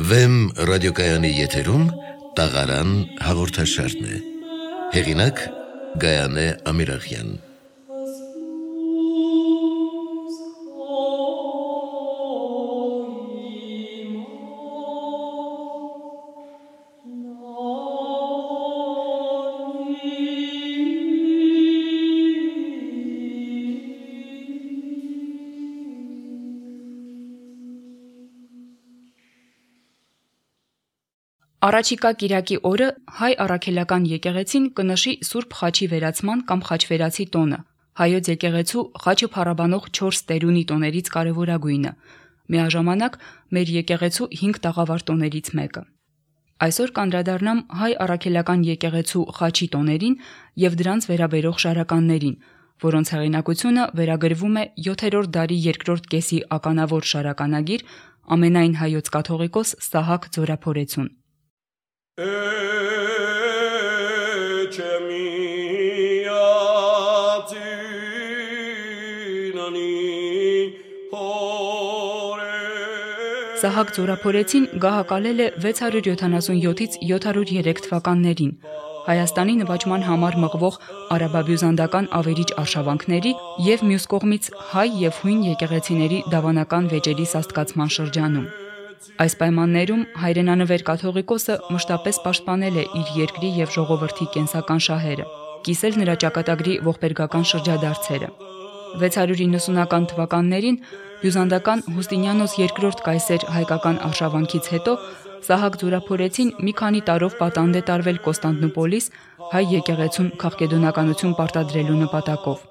Վեմ ռադիոկայանի եթերում տաղարան հաղորդաշարն է։ Հեղինակ Գայանե Ամիրախյան։ Առաջիկա կիրակի օրը հայ առաքելական եկեղեցին կնշի Սուրբ Խաչի վերացման կամ խաչվերացի տոնը, հայոց եկեղեցու խաչը փառաբանող 4 տերունի տոներից կարևորագույնը, միաժամանակ մեր եկեղեցու 5 տաղավար տոներից մեկը։ Այսօր կանդրադառնամ հայ առաքելական եկեղեցու խաչի տոներին եւ դրանց վերաբերող շարականներին, որոնց հեղինակությունը վերագրվում է 7-րդ դարի երկրորդ կեսի ականավոր շարականագիր ամենայն հայոց կաթողիկոս Սահակ Ձորափորեցուն։ Սահակ Ձորափորեցին գահակալել է 677-ից 703 թվականներին Հայաստանի նվաճման համար մղվող արաբա-բյուզանդական ավերիչ արշավանքների եւ մյուս կողմից հայ եւ հույն եկեղեցիների դավանական վեճերի սաստկացման շրջանում։ Այս պայմաններում հայրենանվեր կաթողիկոսը մշտապես պաշտպանել է իր երկրի եւ ժողովրդի կենսական շահերը, կիսել նրա ճակատագրի ողբերգական շրջադարձերը։ 690-ական թվականներին բյուզանդական Հուստինիանոս II կայսեր հայկական արշավանքից հետո Սահակ Ձորափորեցին մի քանի տարով պատանդ է տարվել Կոստանդնուպոլիս հայ եկեղեցուն քաղկեդոնականություն պարտադրելու նպատակով։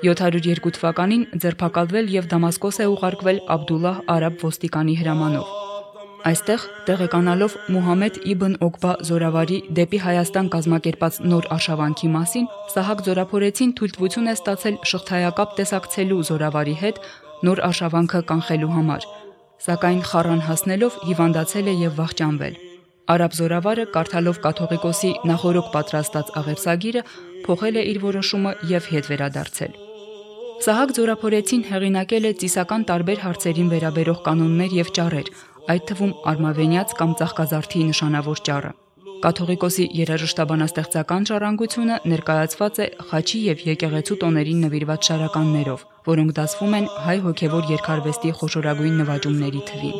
702 թվականին ձերբակալվել եւ Դամասկոս է ուղարկվել Աբդուլլահ արաբ ոստիկանի հրամանով։ Այստեղ տեղեկանալով Մուհամեդ իբն Օկբա Զորավարի դեպի Հայաստան կազմակերպած նոր արշավանքի մասին, Սահակ Ձորափորեցին թույլտվություն է ստացել շղթայակապ տեսակցելու Զորավարի հետ նոր արշավանքը կանխելու համար, սակայն խառան հասնելով հիվանդացել է եւ վախճանվել։ Արաբ Զորավարը կարդալով կաթողիկոսի նախորոք պատրաստած աղերսագիրը փոխել է իր որոշումը եւ հետ վերադարձել։ Սահակ Ձորափորեցին հեղինակել է ծիսական տարբեր հարցերին վերաբերող կանոններ եւ ճառեր, այդ թվում արմավենյաց կամ ծաղկազարդի նշանավոր ճառը։ Կաթողիկոսի երաժշտաբանաստեղծական ժառանգությունը ներկայացված է խաչի եւ եկեղեցու տոներին նվիրված շարականներով, որոնք դասվում են հայ հոգևոր երգարվեստի խոշորագույն նվաճումների թվին։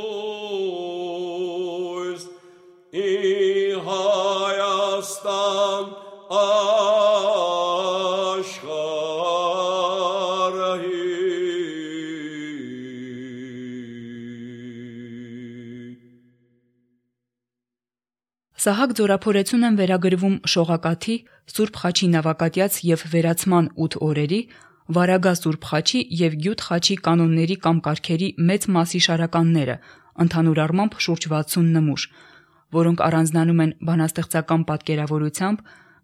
Սահակ Ձորափորեցուն են վերագրվում Շողակաթի, Սուրբ Խաչի նավակատյաց եւ վերացման 8 օրերի, Վարագա Սուրբ Խաչի եւ Գյուտ Խաչի կանոնների կամ կարգերի մեծ մասի շարականները, ընդհանուր առմամբ շուրջ 60 նմուշ, որոնք առանձնանում են բանաստեղծական պատկերավորությամբ,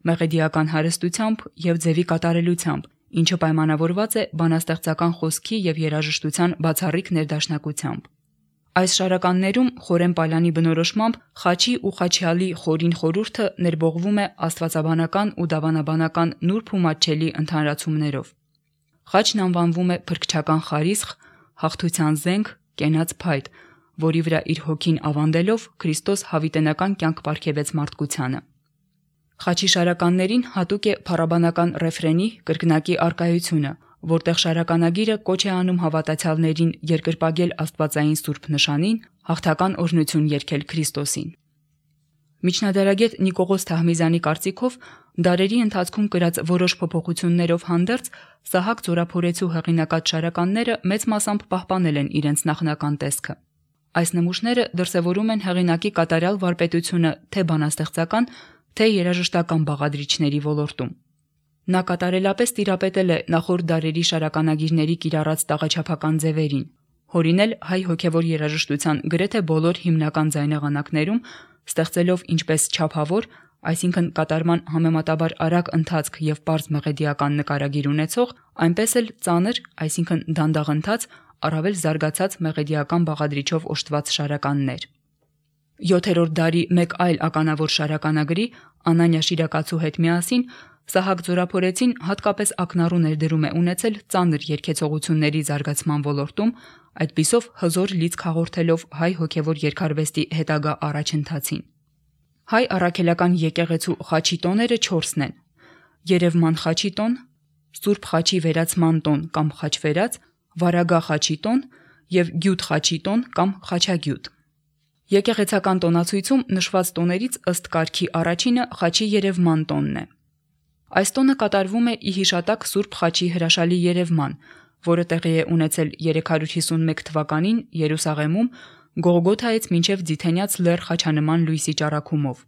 մեղեդիական հարստությամբ եւ ձևի կատարելությամբ, ինչը պայմանավորված է բանաստեղծական խոսքի եւ երաժշտության բացառիկ ներդաշնակությամբ։ Այս շարականներում խորեն պալանի բնորոշմամբ խաչի ու խաչյալի խորին խորհուրդը ներբողվում է աստվածաբանական ու դավանաբանական նուրբ ու մատչելի ընդհանրացումներով։ Խաչն անվանվում է փրկչական խարիսխ, հաղթության զենք, կենաց փայտ, որի վրա իր հոգին ավանդելով Քրիստոս հավիտենական կյանք պարգևեց մարդկությանը։ Խաչի շարականներին հատուկ է փառաբանական ռեֆրենի կրկնակի արկայությունը, որտեղ շարականագիրը կոչ է անում հավատացյալներին երկրպագել Աստվածային Սուրբ նշանին, հաղթական օրհնություն երգել Քրիստոսին։ Միջնադարագետ Նիկողոս Թահմիզյանի կարծիքով դարերի ընթացքում կրած որոշ փոփոխություններով հանդերձ Սահակ Ձորափորեցու հեղինակած շարականները մեծ մասամբ պահպանել են իրենց նախնական տեսքը։ Այս նմուշները դրսևորում են հեղինակի կատարյալ վարպետությունը թե բանաստեղծական, թե երաժշտական բաղադրիչների ոլորտում։ Նա կատարելապես տիրապետել է նախորդ դարերի շարականագիրների կիրառած տաղաչափական ձևերին, հորինել հայ հոգևոր երաժշտության գրեթե բոլոր հիմնական ձայնեղանակներում, ստեղծելով ինչպես չափավոր, այսինքն կատարման համեմատաբար արագ ընթացք եւ պարզ մեղեդիական նկարագիր ունեցող, այնպես էլ ծանր, այսինքն դանդաղ ընթաց, առավել զարգացած մեղեդիական բաղադրիչով օժտված շարականներ։ 7-րդ դարի մեկ այլ ականավոր շարականագրի Անանյա Շիրակացու հետ միասին Սահակ Ձորափորեցին հատկապես ակնառու ներդրում է ունեցել ծանր երգեցողությունների զարգացման ոլորտում, այդպիսով հզոր լիցք հաղորդելով հայ հոգևոր երգարվեստի հետագա առաջընթացին։ Հայ առաքելական եկեղեցու խաչի տոները 4-ն են. Երևման խաչի տոն, Սուրբ խաչի վերացման տոն կամ խաչվերած, Վարագա խաչի տոն եւ Գյուտ խաչի տոն կամ խաչագյուտ։ Եկեղեցական տոնացույցում նշված տոներից ըստ կարգի առաջինը խաչի երևման տոնն է։ Այս տոնը կատարվում է ի հիշատակ Սուրբ խաչի հրաշալի երևման, որը տեղի է ունեցել 351 թվականին Երուսաղեմում Գողգոթայից մինչև Ձիթենյաց լեռ խաչանման լույսի ճառագումով։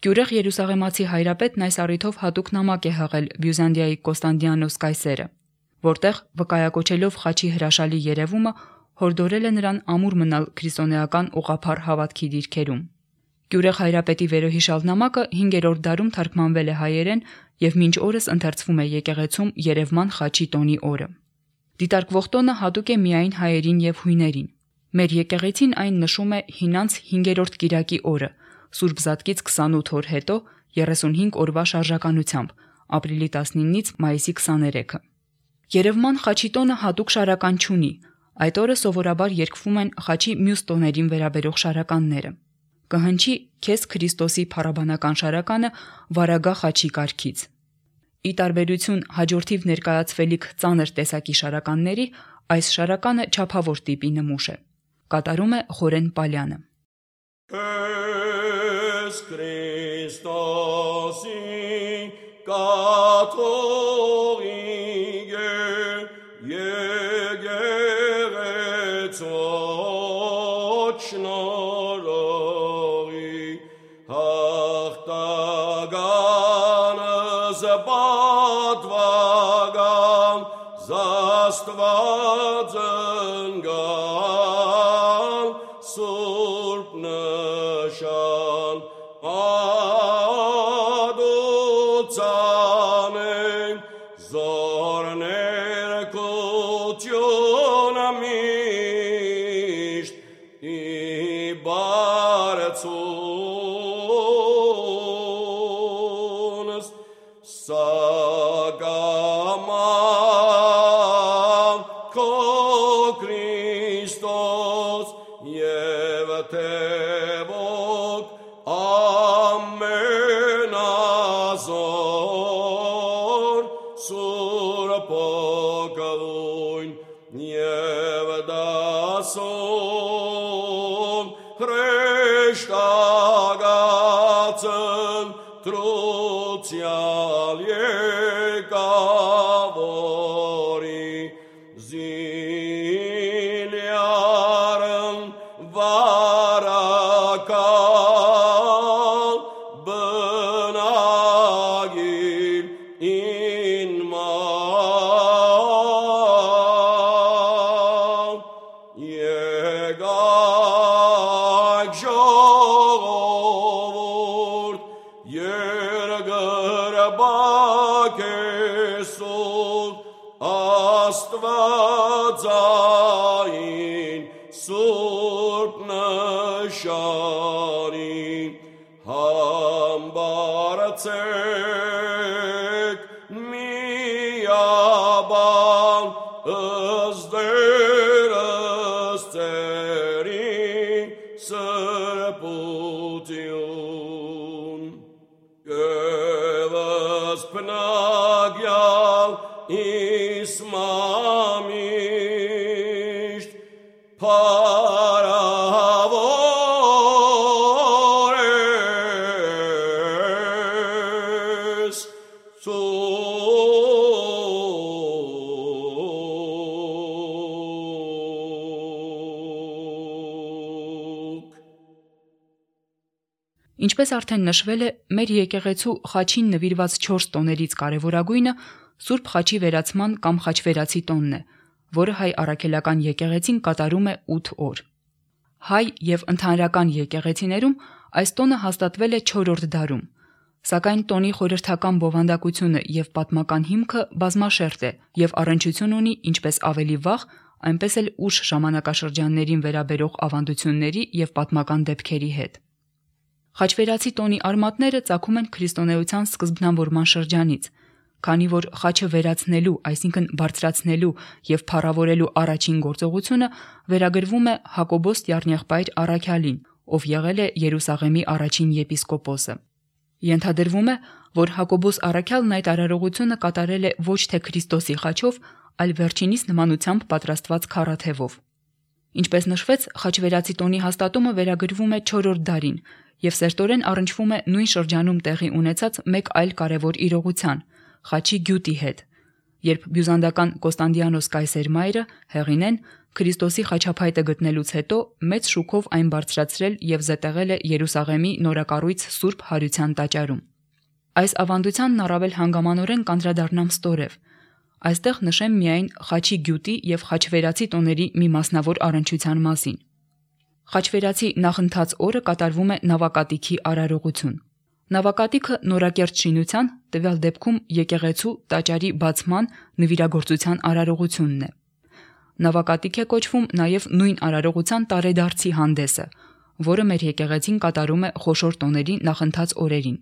Գյուրեղ Երուսաղեմացի հայրապետն այս առիթով հատուկ նամակ է հղել Բյուզանդիայի Կոստանդիանոս կայսերը, որտեղ վկայակոչելով խաչի հրաշալի երևումը հորդորել է նրան ամուր մնալ քրիստոնեական ուղղափառ հավատքի դիրքերում։ Գյուրեղ հայրապետի վերոհիշալ նամակը 5-րդ դարում թարգմանվել է հայերեն եւ մինչ օրս ընթերցվում է եկեղեցում Երևման խաչի տոնի օրը։ Դիտարկվող տոնը հատուկ է միայն հայերին եւ հույներին։ Մեր եկեղեցին այն նշում է հինանց 5-րդ կիրակի օրը, Սուրբ Զատկից 28 օր հետո 35 օրվա շարժականությամբ, ապրիլի 19-ից մայիսի 23-ը։ Երևման խաչի տոնը հատուկ շարական չունի, այդ օրը սովորաբար երգվում են խաչի մյուս տոներին վերաբերող շարականները։ Կհնչի Քեզ Քրիստոսի փառաբանական շարականը Վարագա խաչի կարգից։ Ի տարբերություն հաջորդիվ ներկայացվելիք ծանր տեսակի շարականների, այս շարականը չափավոր տիպի նմուշ է։ Կատարում է Խորեն Պալյանը։ Քեզ Քրիստոսի կաթողիկե եկեղեցու շնորհի հաղթականս պատվական զաստված ընկան Սուրբ նշան ադուցանենք զորներ կությունը միշտ իբարցունս սագաման քո Քրիստոս և թևոք ամենազոր սուրբոկլույն և դասում հրեշտակացն թրուցյալ եկավորի զիլյարն վարակալ բնագիր ինման եկայք ժողովուրդ երկրպագ Հիսուս Աստվածային Սուրբ նշանին համբարձեք միաբան ըստ ծերի սրբություն կևս պնագյալ իսմամիշտ փարավոր ես Ինչպես արդեն նշվել է, մեր եկեղեցու խաչին նվիրված 4 տոներից կարևորագույնը Սուրբ խաչի վերացման կամ խաչվերացի տոնն է, որը հայ առաքելական եկեղեցին կատարում է 8 օր։ Հայ եւ ընդհանրական եկեղեցիներում այս տոնը հաստատվել է 4-րդ դարում, սակայն տոնի խորհրդական բովանդակությունը եւ պատմական հիմքը բազմաշերտ է եւ առնչություն ունի ինչպես ավելի վաղ, այնպես էլ ուշ ժամանակաշրջաններին վերաբերող ավանդությունների եւ պատմական դեպքերի հետ։ Խաչվերացի տոնի արմատները ծագում են քրիստոնեության սկզբնավորման շրջանից, քանի որ խաչը վերացնելու, այսինքն բարձրացնելու եւ փառավորելու առաջին գործողությունը վերագրվում է Հակոբոս Տյառնեղբայր առաքյալին, ով եղել է Երուսաղեմի առաջին եպիսկոպոսը։ Ենթադրվում է, որ Հակոբոս առաքյալն այդ արարողությունը կատարել է ոչ թե Քրիստոսի խաչով, այլ վերջինիս նմանությամբ պատրաստված քառաթևով։ Ինչպես նշվեց, խաչվերացի տոնի հաստատումը վերագրվում է 4-րդ դարին եւ սերտորեն առնչվում է նույն շրջանում տեղի ունեցած մեկ այլ կարևոր իրողության՝ խաչի գյուտի հետ, երբ բյուզանդական Կոստանդիանոս Կայսեր Հեղինեն Քրիստոսի խաչափայտը գտնելուց հետո մեծ շուքով այն բարձրացրել եւ զետեղել է Երուսաղեմի նորակառույց Սուրբ Հարության տաճարում։ Այս ավանդությանն առավել հանգամանորեն կանդրադառնամ ստորև։ Այստեղ նշեմ միայն խաչի գյուտի եւ խաչվերացի տոների մի մասնավոր առնչության մասին։ Խաչվերացի նախընթաց օրը կատարվում է նավակատիքի արարողություն։ Նավակատիքը նորակերտ շինության, տվյալ դեպքում եկեղեցու տաճարի բացման նվիրագործության արարողությունն է։ Նավակատիկ է կոչվում նաև նույն արարողության տարեդարձի հանդեսը, որը մեր եկեղեցին կատարում է խոշոր տոների նախընթաց օրերին։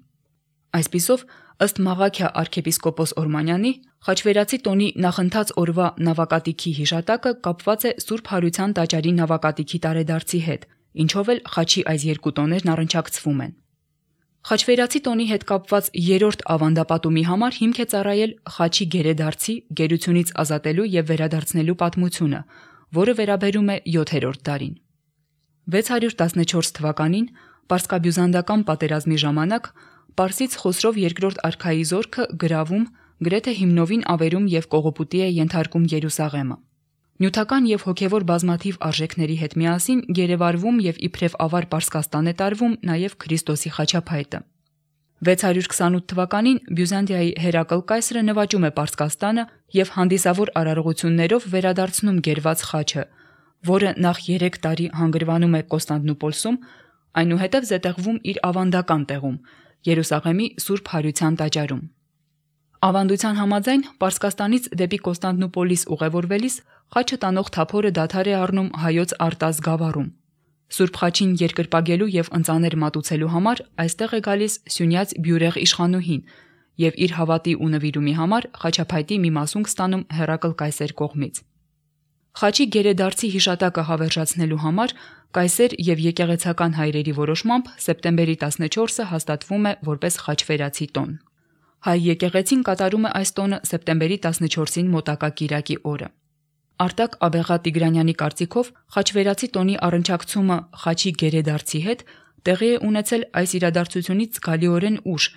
Այսպիսով, ըստ Մաղաքիա arczepiskopos Օրմանյանի, խաչվերացի տոնի նախընթաց օրվա նավակատիքի հիշատակը կապված է Սուրբ Հարության տաճարի նավակատիքի տարեդարձի հետ, ինչով էլ խաչի այս երկու տոներն առնչակցվում են։ Խաչվերացի տոնի հետ կապված երրորդ ավանդապատումի համար հիմք է ծառայել խաչի գերեդարձի, գերությունից ազատելու եւ վերադարձնելու պատմությունը, որը վերաբերում է 7-րդ դարին։ 614 թվականին Պարսկաբյուզանդական պատերազմի ժամանակ Պարսից Խոսրով II արքայի զորքը գրավում, գրեթե հիմնովին ավերում եւ կողոպուտի է ենթարկում Երուսաղեմը։ Նյութական եւ հոգեվոր բազմաթիվ արժեքների հետ միասին գերեվարվում եւ իբրև ավար Պարսկաստան է տարվում նաեւ Քրիստոսի խաչափայտը։ 628 թվականին Բյուզանդիայի Հերակլ կայսրը նվաճում է Պարսկաստանը եւ հանդիսավոր արարողություններով վերադարձնում գերված խաչը, որը նախ 3 տարի հանգրվանում է Կոստանդնուպոլսում, այնուհետև զետեղվում իր ավանդական տեղում՝ Երուսաղեմի Սուրբ Հարության տաճարում։ Ավանդության համաձայն Պարսկաստանից դեպի Կոստանդնուպոլիս ուղևորվելիս խաչը տանող թափորը դադար է առնում հայոց Արտազ գավառում։ Սուրբ խաչին երկրպագելու եւ ընծաներ մատուցելու համար այստեղ է գալիս Սյունյաց Բյուրեղ իշխանուհին եւ իր հավատի ու նվիրումի համար խաչափայտի մի մասունք ստանում Հերակլ կայսեր կողմից։ Խաչի գերեդարձի հիշատակը հավերժացնելու համար կայսեր եւ եկեղեցական հայրերի որոշմամբ սեպտեմբերի 14-ը հաստատվում է որպես խաչվերացի տոն։ Հայ եկեղեցին կատարում է այս տոնը սեպտեմբերի 14-ին մոտակա կիրակի օրը։ Արտակ Աբեղա Տիգրանյանի կարծիքով խաչվերացի տոնի առնչակցումը խաչի գերեդարձի հետ տեղի է ունեցել այս իրադարձությունից զգալիորեն ուշ,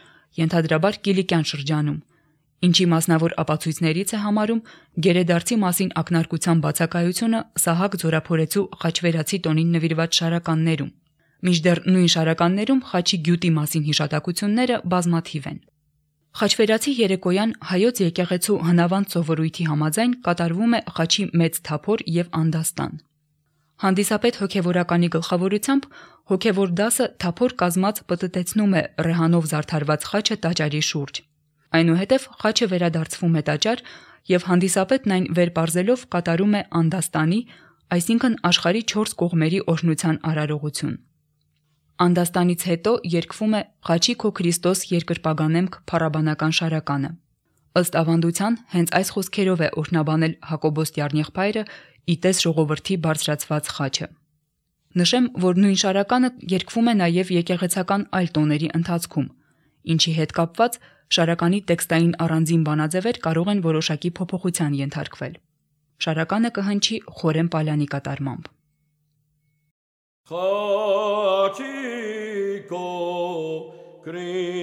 ենթադրաբար Կիլիկյան շրջանում, ինչի մասնավոր ապացույցներից է համարում գերեդարձի մասին ակնարկության բացակայությունը Սահակ Ձորափորեցու խաչվերացի տոնին նվիրված շարականներում։ Մինչդեռ նույն շարականներում խաչի գյուտի մասին հիշատակությունները բազմաթիվ են։ Խաչվերացի երեկոյան հայոց եկեղեցու հնավանդ սովորույթի համաձայն կատարվում է խաչի մեծ թափոր եւ անդաստան։ Հանդիսապետ հոգևորականի գլխավորությամբ հոգևոր դասը թափոր կազմած պտտեցնում է ռեհանով զարդարված խաչը տաճարի շուրջ։ Այնուհետև խաչը վերադարձվում է տաճար եւ հանդիսապետն այն վերպարզելով կատարում է անդաստանի, այսինքն աշխարհի 4 կողմերի օրհնության արարողություն։ Անդաստանից հետո երգվում է «Խաչի քո Քրիստոս երկրպագանեմք» փառաբանական շարականը։ Ըստ ավանդության, հենց այս խոսքերով է օրհնաբանել Հակոբոս Տյառնեղբայրը իտես ժողովրդի բարձրացված խաչը։ Նշեմ, որ նույն շարականը երգվում է նաև եկեղեցական այլ տոների ընթացքում, ինչի հետ կապված շարականի տեքստային առանձին բանաձևեր կարող են որոշակի փոփոխության ենթարկվել։ Շարականը կհնչի Խորեն Պալյանի կատարմամբ։ Խաչիկո Քրիստոս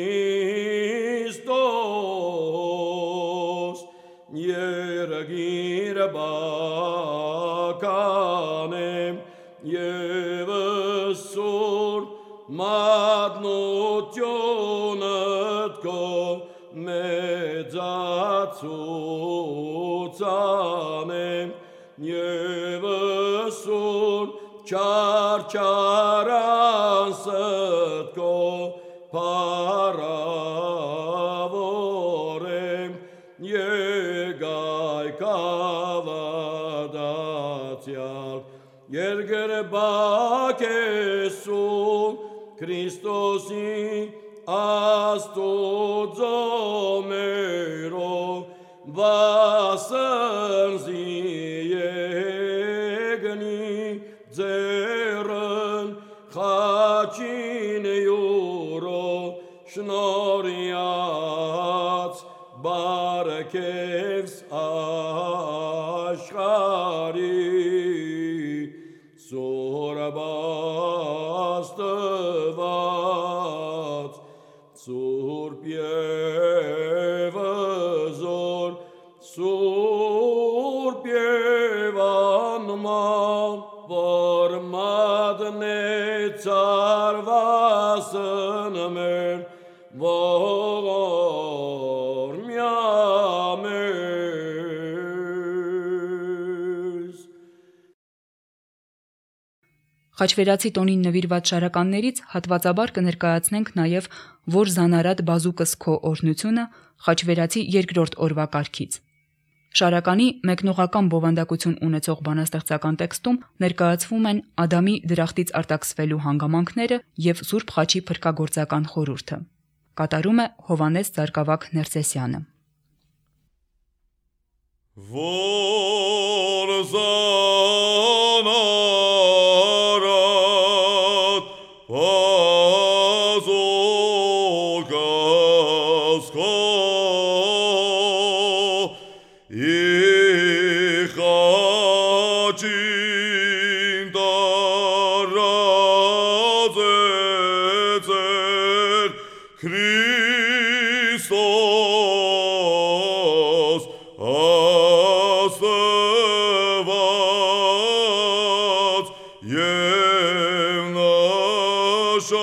երգիր բականեմ եւ սուր մատնությունդ քո մեծացուցանեմ եւ սուր Չարչարանսդ քո փառավորեմ Եգայ կավադացյալ Երգրբակեսու Քրիստոսի Աստուծո մերով վասնզի եկնի ձեռն խաչին յուրո շնորհյաց բարքևս աշխարհի սորաբաստված Սուրբ և զոր Սուրբ և անման որ մատնեցար վասն մեր ողորմյա մեզ Խաչվերացի տոնին նվիրված շարականներից հատվածաբար կներկայացնենք նաև «Որ զանարատ բազուկս քո օրհնությունը» խաչվերացի երկրորդ օրվա կարգից։ Շարականի մեկնողական բովանդակություն ունեցող բանաստեղծական տեքստում ներկայացվում են Ադամի դրախտից արտաքսվելու հանգամանքները և Սուրբ Խաչի փրկագործական խորհուրդը։ Կատարում է Հովհաննես Ծարգավակ Ներսեսյանը։ Որ զանարատ բազուկս քո խաչին տարածեցեր Քրիստոս Աստված և նշան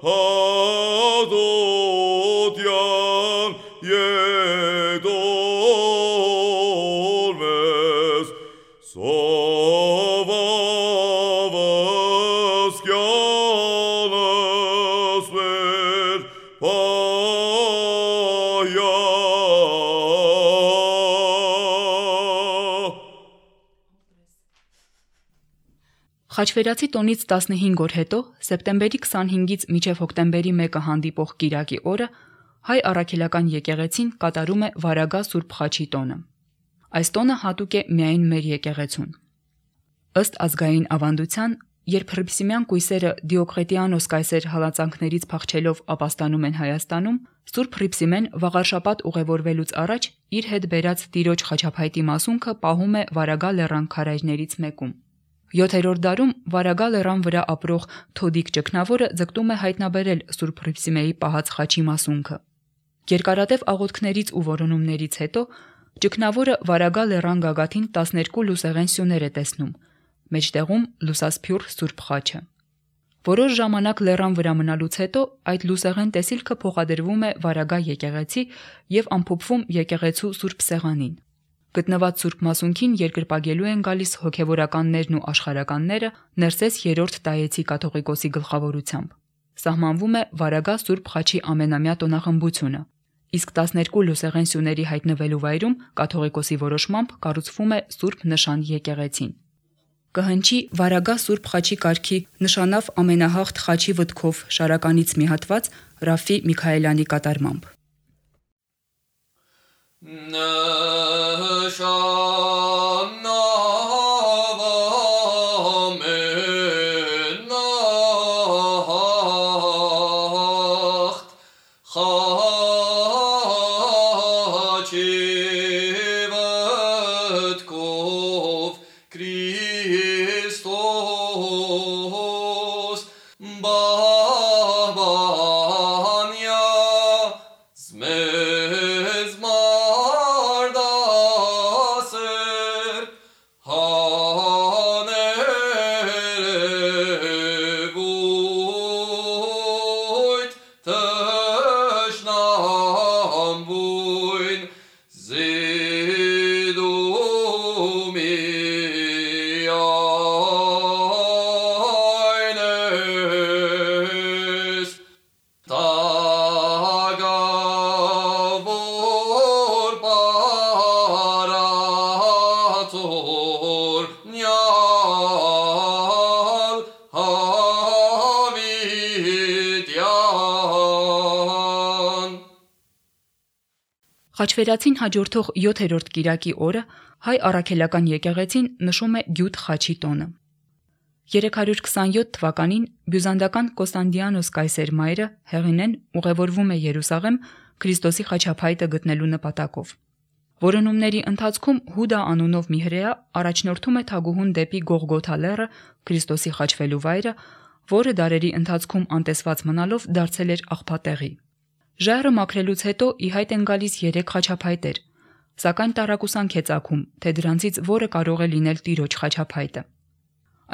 հաղթության ետորմես սովավս կյանս մեր պայա Խաչվերացի տոնից 15 օր հետո, սեպտեմբերի 25-ից մինչև հոկտեմբերի 1-ը հանդիպող կիրակի օրը, հայ առաքելական եկեղեցին կատարում է Վարագա Սուրբ Խաչի տոնը։ Այս տոնը հատուկ է միայն մեր եկեղեցուն։ Ըստ ազգային ավանդության, երբ հռիփսիմյան կույսերը Դիոկլետիանոս կայսեր հալածանքներից փախչելով ապաստանում են Հայաստանում, Սուրբ Հռիփսիմեն վաղարշաբաթ ուղևորվելուց առաջ իր հետ բերած տիրոջ խաչափայտի մասունքը պահում է Վարագա լեռան քարայրներից մեկում։ 7-րդ դարում Վարագա լեռան վրա ապրող Թոդիկ ճգնավորը ձգտում է հայտնաբերել Սուրբ Հռիփսիմեի պահած խաչի մասունքը։ Երկարատև աղոթքներից ու որոնումներից հետո ճգնավորը Վարագա լեռան գագաթին 12 լուսեղեն սյուներ է տեսնում, մեջտեղում լուսասփյուռ Սուրբ Խաչը։ Որոշ ժամանակ լեռան վրա մնալուց հետո այդ լուսեղեն տեսիլքը փոխադրվում է Վարագա եկեղեցի և ամփոփվում եկեղեցու Սուրբ Սեղանին։ Գտնված Սուրբ Մասունքին երկրպագելու են գալիս հոգևորականներն ու աշխարհականները Ներսես 3-րդ Տայեցի կաթողիկոսի գլխավորությամբ։ Սահմանվում է Վարագա Սուրբ Խաչի ամենամյա տոնախմբությունը, իսկ 12 լուսեղեն սյուների հայտնվելու վայրում կաթողիկոսի որոշմամբ կառուցվում է Սուրբ Նշան եկեղեցին։ Կհնչի Վարագա Սուրբ Խաչի կարգի նշանավ ամենահաղթ խաչի վտքով շարականից մի հատված Ռաֆի Միքայելյանի կատարմամբ։ Zedumia Խաչվերացին հաջորդող 7-րդ կիրակի օրը հայ առաքելական եկեղեցին նշում է Գյուտ խաչի տոնը։ 327 թվականին բյուզանդական Կոստանդիանոս կայսեր մայրը Հեղինեն ուղևորվում է Երուսաղեմ Քրիստոսի խաչափայտը գտնելու նպատակով։ Որոնումների ընթացքում Հուդա անունով մի հրեա առաջնորդում է թագուհուն դեպի Գողգոթա լեռը, Քրիստոսի խաչվելու վայրը, որը դարերի ընթացքում անտեսված մնալով դարձել էր աղբատեղի։ Ժայռը մաքրելուց հետո ի հայտ են գալիս 3 խաչափայտեր, սակայն տարակուսանք է ծագում, թե դրանցից որը կարող է լինել Տիրոջ խաչափայտը։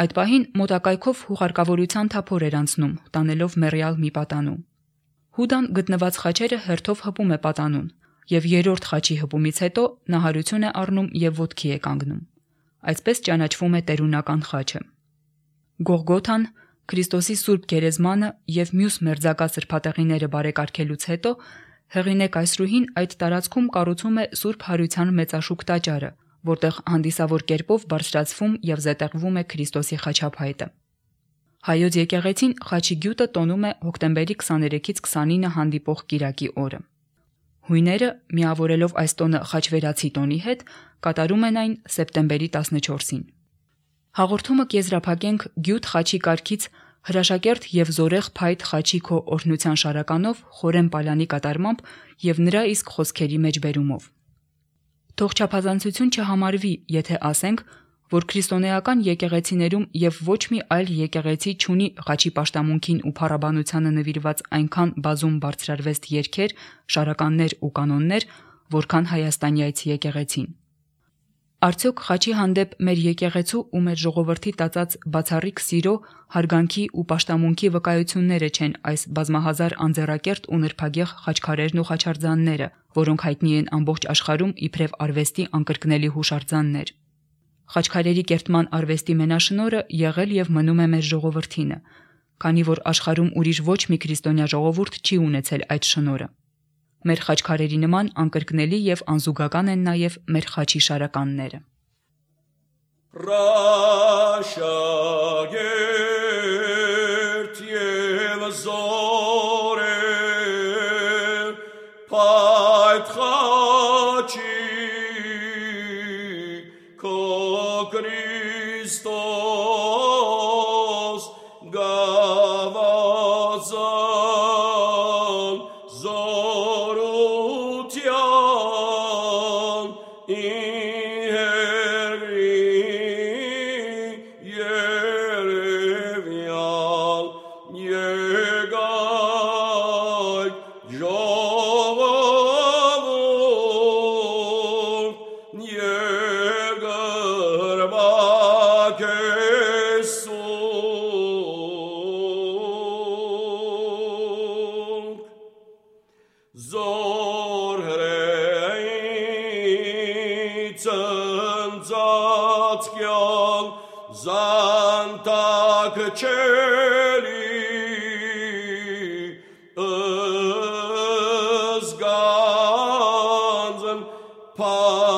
Այդ պահին մոտակայքով հուղարկավորության թափոր էր անցնում, տանելով մեռյալ մի պատանու։ Հուդան գտնված խաչերը հերթով հպում է պատանուն, եւ 3-րդ խաչի հպումից հետո նա հարություն է առնում եւ ոտքի է կանգնում։ Այսպես ճանաչվում է տերունական խաչը։ Գողգոթան, Քրիստոսի Սուրբ Գերեզմանը եւ մյուս մերձակա սրբատեղիները բարեկարգելուց հետո Հեղինե կայսրուհին այդ տարածքում կառուցում է Սուրբ Հարության մեծաշուք տաճարը, որտեղ հանդիսավոր կերպով բարձրացվում եւ զետեղվում է Քրիստոսի խաչափայտը։ Հայոց եկեղեցին խաչի գյուտը տոնում է հոկտեմբերի 23-ից 29 հանդիպող կիրակի օրը։ Հույները, միավորելով այս տոնը խաչվերացի տոնի հետ, կատարում են այն սեպտեմբերի 14-ին։ Հաղորդումը կեզրափակենք Գյուտ խաչի կարգից հրաշակերտ եւ զորեղ փայտ խաչի քո օրհնության շարականով Խորեն Պալյանի կատարմամբ եւ նրա իսկ խոսքերի մեջ բերումով։ Թող չափազանցություն չհամարվի, եթե ասենք, որ քրիստոնեական եկեղեցիներում եւ ոչ մի այլ եկեղեցի չունի խաչի պաշտամունքին ու փառաբանությանը նվիրված այնքան բազում բարձրարվեստ երգեր, շարականներ ու կանոններ, որքան հայաստանյաց եկեղեցին։ Արդյոք խաչի հանդեպ մեր եկեղեցու ու մեր ժողովրդի տածած բացառիկ սիրո, հարգանքի ու պաշտամունքի վկայությունները չեն այս բազմահազար անձեռակերտ ու նրբագեղ խաչքարերն ու խաչարձանները, որոնք հայտնի են ամբողջ աշխարհում իբրև արվեստի անկրկնելի հուշարձաններ։ Խաչքարերի կերտման արվեստի մենաշնորհը եղել եւ մնում է մեր ժողովրդինը, քանի որ աշխարհում ուրիշ ոչ մի քրիստոնյա ժողովուրդ չի ունեցել այդ շնորհը։ Մեր խաչքարերի նման անկրկնելի եւ անզուգական են նաեւ մեր խաչի շարականները։ Ռաշագերտ եւ զորել փայտ խաչի քո Քրիստոս գավազան զորության Zantag celi özganzen papakmam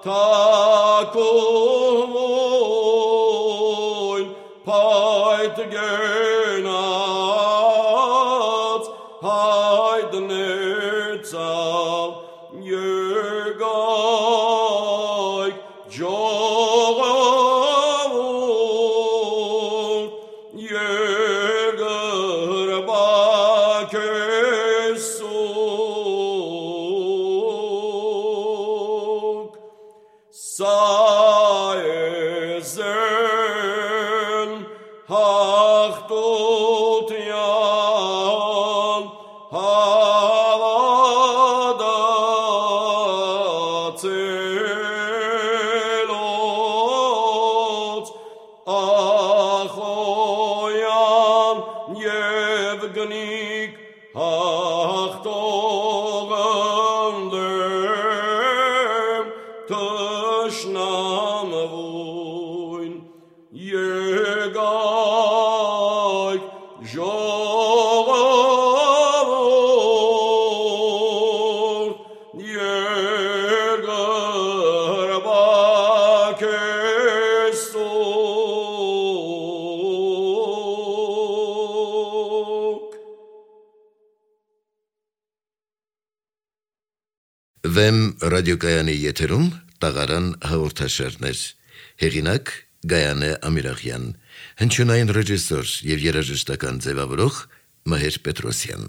takuvoin payt genat haydnetzal Վեմ ռադիոկայանի եթերում տաղարան հաղորդաշարներ։ Հեղինակ Գայանե Ամիրախյան, հնչյունային ռեժիսոր եւ երաժշտական ձևավորող Մհեր Պետրոսյան։